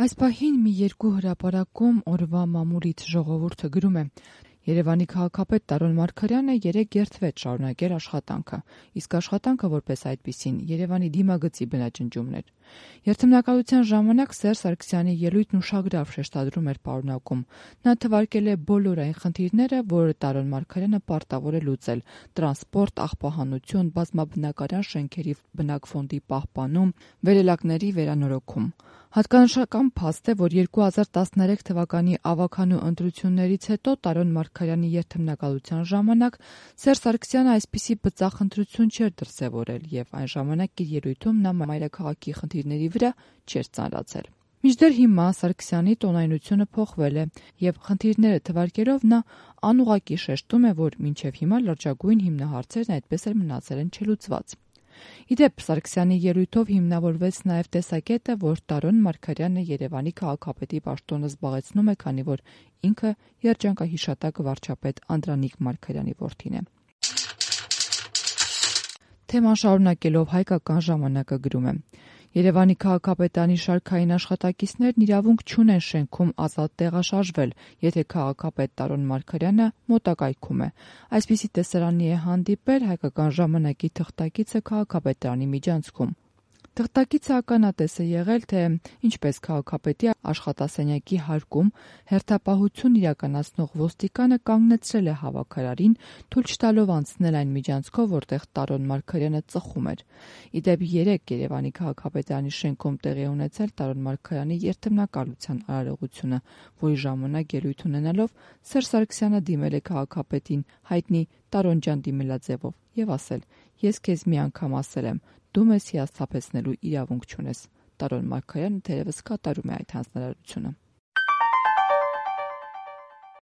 Այս պահին մի երկու հրապարակում օրվա մամուլից ժողովուրդը գրում է. Երևանի քաղաքապետ Տարոն Մարգարյանը երեկ երդվեց շարունակել աշխատանքը, իսկ աշխատանքը որպես այդպիսին Երևանի դիմագծի բնաջնջումն էր։ Երդմնակալության ժամանակ Սերժ Սարգսյանի ելույթն ուշագրավ շեշտադրում էր պարունակում։ Նա թվարկել է բոլոր այն խնդիրները, որ Տարոն Մարգարյանը պարտավոր է լուծել՝ տրանսպորտ, աղբահանություն, բազմաբնակարան շենքերի բնակֆոնդի պահպանում, վերելակների վերանորոգում։ Հատկանշական փաստ է, որ 2013 թվականի ավագանու ընտրություններից հետո Տարոն Մարգարյանի երդմնակալության ժամանակ Սերժ Սարգսյանը այսպիսի բծախնդրություն չէր դրսևորել եւ այն ժամանակ իր ելույթում նա մայրաքաղաքի խնդիրների վրա չէր ծանրացել։ Մինչդեռ հիմա Սարգսյանի տոնայնությունը փոխվել է եւ խնդիրները թվարկելով նա անուղղակի շեշտում է, որ մինչեւ հիմա լրջագույն հիմնահարցերն այդպես էլ մնացել են չլուծված։ Իդեպ Սարգսյանի ելույթով հիմնավորվեց նաև տեսակետը, որ Տարոն Մարգարյանը Երևանի քաղաքապետի պաշտոնը զբաղեցնում է, քանի որ ինքը երջանկահիշատակ վարչապետ Անդրանիկ Մարգարյանի որդին է։ Թեման շարունակելով Հայկական ժամանակը գրում է. Երևանի քաղաքապետարանի շարքային աշխատակիցներն իրավունք չունեն շենքում ազատ տեղաշարժվել, եթե քաղաքապետ Տարոն Մարգարյանը մոտակայքում է։ Այսպիսի տեսարանի է հանդիպել Հայկական ժամանակի թղթակիցը քաղաքապետարանի միջանցքում։ Թղթակիցը ականատես է եղել, թե ինչպես քաղաքապետի աշխատասենյակի հարկում հերթապահություն իրականացնող ոստիկանը կանգնեցրել է հավաքարարին, թույլ չտալով անցնել այն միջանցքով, որտեղ Տարոն Մարգարյանը ծխում էր։ Իդեպ երեկ Երևանի քաղաքապետարանի շենքում տեղի ունեցել Տարոն Մարգարյանի երդմնակալության արարողությունը, որի ժամանակ ելույթ ունենալով Սերժ Սարգսյանը դիմել է քաղաքապետին հայտնի Տարոն ջան դիմելաձևով եւ ասել. «Ես քեզ մի անգամ ասել եմ, դու մեզ հիասթափեցնելու իրավունք չունես»։ Տարոն Մարգարյանը թերևս կատարում է այդ հանձնարարությունը։